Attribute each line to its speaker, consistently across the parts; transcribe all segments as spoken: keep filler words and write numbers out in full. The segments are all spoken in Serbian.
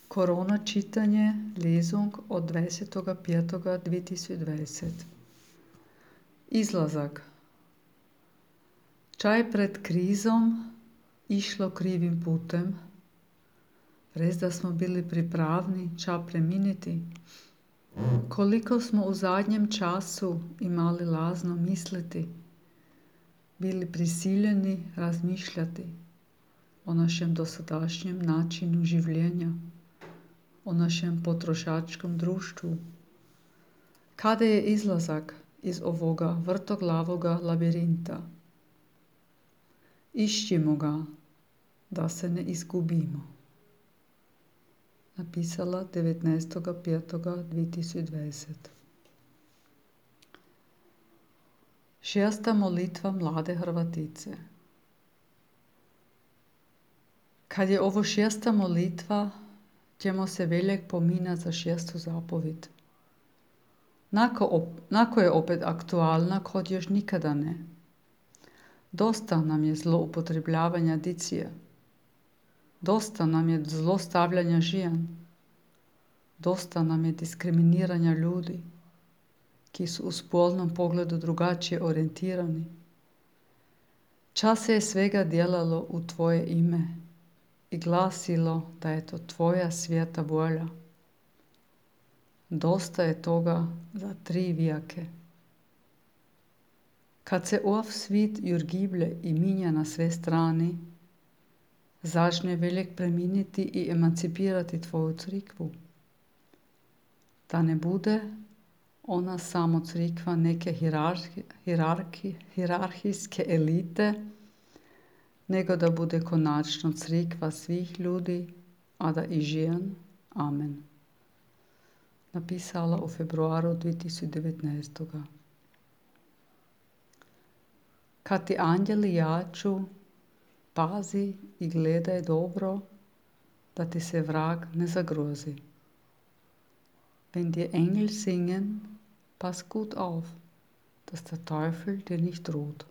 Speaker 1: Korona čitanje, Lesung od dvajsetog petog dve tisoč dvajset. Izlazak. Čaj pred krizom išlo krivim putem? Res da smo bili pripravni ča preminiti? Koliko smo u zadnjem času imali lazno misliti? Bili prisiljeni razmišljati o našem dosadašnjem načinu življenja, o našem potrošačkom društvu. Kada je izlazak iz ovoga vrtoglavoga labirinta? Išćimo ga, da se ne izgubimo. Napisala devetnaestog petog dve tisoč dvajset. Šesta molitva mlade Hrvatice. Kad je ovo šesta molitva, ćemo se veljak pominati za šestu zapovit. Nako, op, nako je opet aktualna, kod još nikada ne. Dosta nam je zloupotrebljavanja dicije. Dosta nam je zlostavljanja žijan. Dosta nam je diskriminiranja ljudi, ki su u spolnom pogledu drugačije orijentirani. Čas se je svega djelalo u tvoje ime i glasilo da je to tvoja svijeta volja. Dosta je toga za tri vijake. Kad se ov svit jurgiblje i minja na sve strani, začne veljak preminiti i emancipirati tvoju crikvu. Da ne bude ona samo crikva neke hirarhi, hirarhi, hirarhijske elite, nego da bude konačno crikva svih ljudi, a da i žijan. Amen. Napisala u februaru dve tisoč devetnaest. Kad ti anđeli jaču, pazi i gledaj dobro, da ti se vrag ne zagrozi. Wenn die Engel singen, pass gut auf, dass der Teufel dir nicht droht.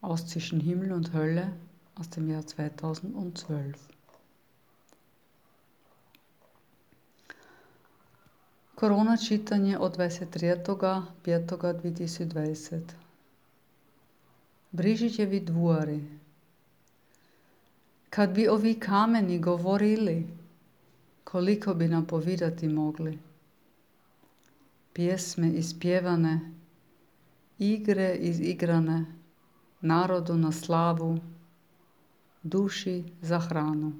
Speaker 1: Aus Zwischen Himmel und Hölle aus dem Jahr zweitausendzwölf. Korona čitanje od dvajset tretjeg petog dve tisoč dvajset. Brižićevi dvori. Kad bi ovi kameni govorili, koliko bi nam povedati mogli. Pjesme ispjevane, igre izigrane, narodu na slavu, duši za hranu.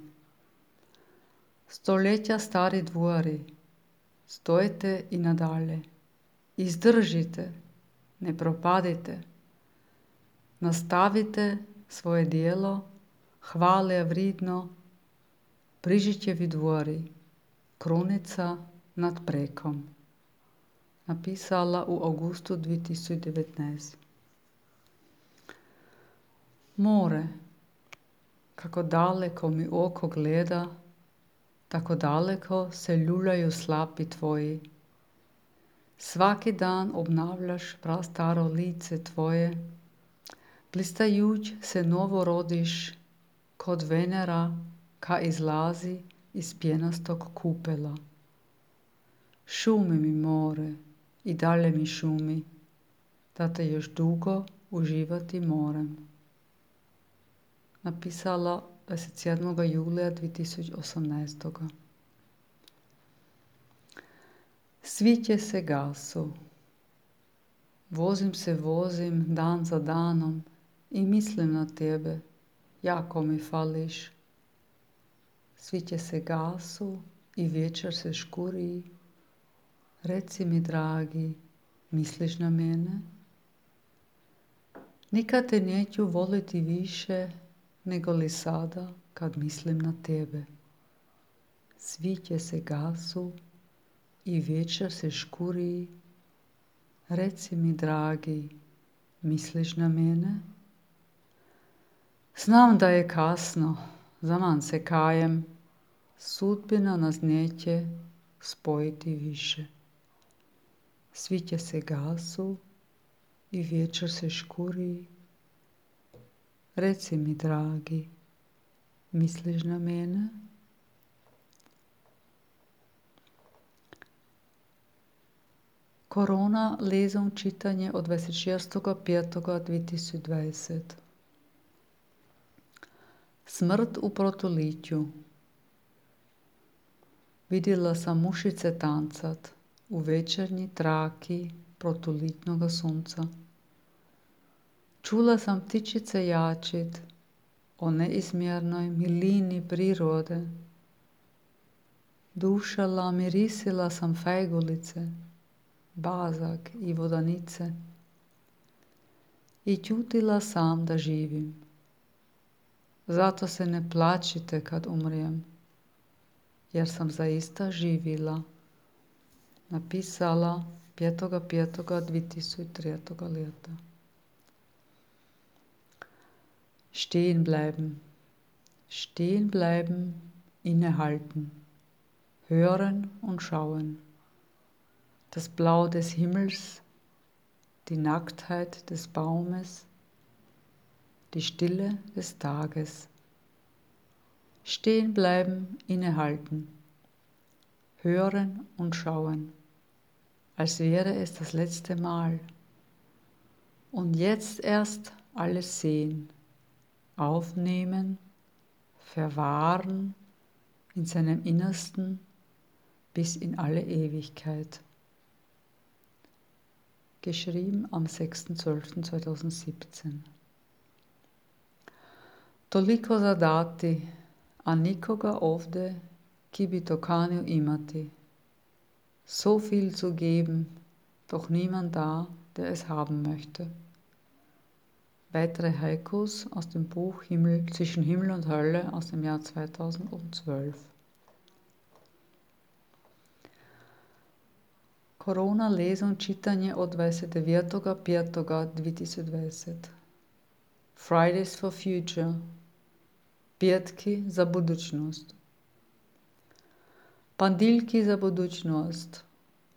Speaker 1: Stoletja stari dvori, stojte i nadalje, izdržite, ne propadite, nastavite svoje djelo, hvale vridno, Brižićevi dvori, krunica nad prekom. Napisala u augustu dve tisoč devetnaest. More, kako daleko mi oko gleda, tako daleko se ljuljaju slapi tvoji. Svaki dan obnavljaš prastaro lice tvoje, blistajuć se novo rodiš, kod Venera, ka izlazi iz pjenastog kupela. Šumi mi more i dalje mi šumi, da te još dugo uživati morem. Napisala dvadeset sedmog julija dve tisoč osemnaest. Sviće se gasu. Vozim se vozim dan za danom i mislim na tebe, jako mi fališ. Sviće se gasu i večer se škuri. Reci mi, dragi, misliš na mene? Nikad te neću voliti više nego li sada kad mislim na tebe. Sviće se gasu i večer se škuri. Reci mi, dragi, misliš na mene? Znam da je kasno, zaman se kajem, sudbina nas neće spojiti više. Sviće se gasu i večer se škuri. Reci mi, dragi, misliš na mene? Korona lesung čitanje od dvadeset šestog petog dve tisuće dvadeset. Smrt u protolitju. Vidjela sam mušice tancat u večernji traki protolitnoga sunca. Čula sam ptičice jačit o neizmjernoj milini prirode. Dušala, mirisila sam fajgulice, bazak i vodanice i ćutila sam da živim. Zato se ne plačite kad umrijem, jer sam zaista živila. Napisala petog petog dve tisuće tretjeg leta. Stehen bleiben, stehen bleiben, innehalten, hören und schauen. Das Blau des Himmels, die Nacktheit des Baumes, die Stille des Tages. Stehen bleiben, innehalten, hören und schauen, als wäre es das letzte Mal. Und jetzt erst alles sehen, aufnehmen, verwahren in seinem Innersten bis in alle Ewigkeit. Geschrieben am sechster zwölfter zweitausendsiebzehn. Toliko za dati, a nikoga ovdje ki bi to kanio imati. So viel zu geben, doch niemand da, der es haben möchte. Weitere Haikus aus dem Buch Himmel, Zwischen Himmel und Hölle aus dem Jahr zweitausendzwölf. Korona lesung čitanje od dvadeset devetog petog dve tisuće dvadeset. Fridays for Future. Petki za budućnost. Pandiljki za budućnost.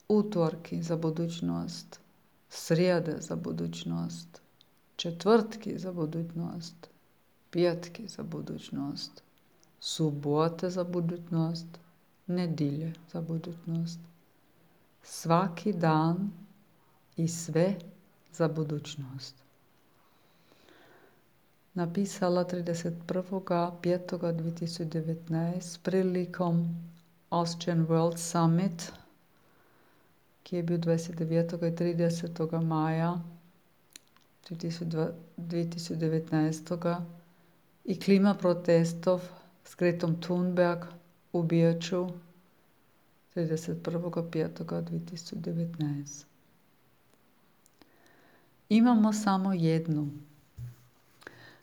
Speaker 1: Utvorki za budućnost. Srijede za budućnost. Četvrtki za budućnost. Petki za budućnost. Subote za budućnost. Nedjelje za budućnost. Svaki dan i sve za budućnost. Napisala trideset prvog petog dve tisuće devetnaest prilikom Austrian World Summit, ki je bil dvadeset devetega in tridesetega maja dve tisuće devetnaest i klima protestov s Gretom Thunberg u Beču trideset prvog petog dve tisuće devetnaest. Imamo samo jednu.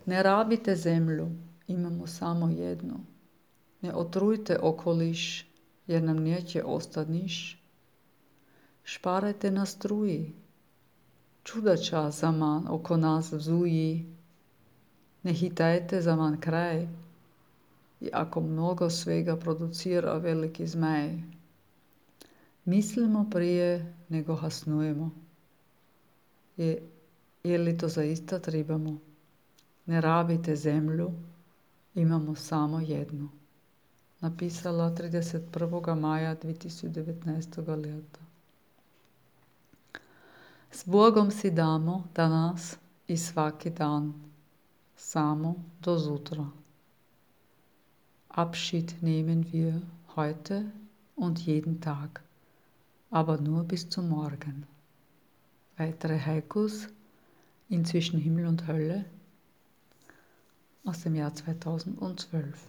Speaker 1: Ne rabite zemlju, imamo samo jednu. Ne otrujte okoliš, jer nam neće ostati niš. Šparajte na struji. Čudača zaman oko nas vzuji. Ne hitajte zaman kraj. I ako mnogo svega producira veliki zmaj. Mislimo prije nego hasnujemo. Je, je li to zaista trebamo? Ne rabite zemlju, imamo samo jednu. Napisala trideset prvog maja dve tisuće devetnaestog leta. S Bogom si damo danas i svaki dan, samo do zutra. Abschied nehmen wir heute und jeden Tag, aber nur bis zum Morgen. Weitere Haikus in Zwischen Himmel und Hölle aus dem Jahr zweitausendzwölf.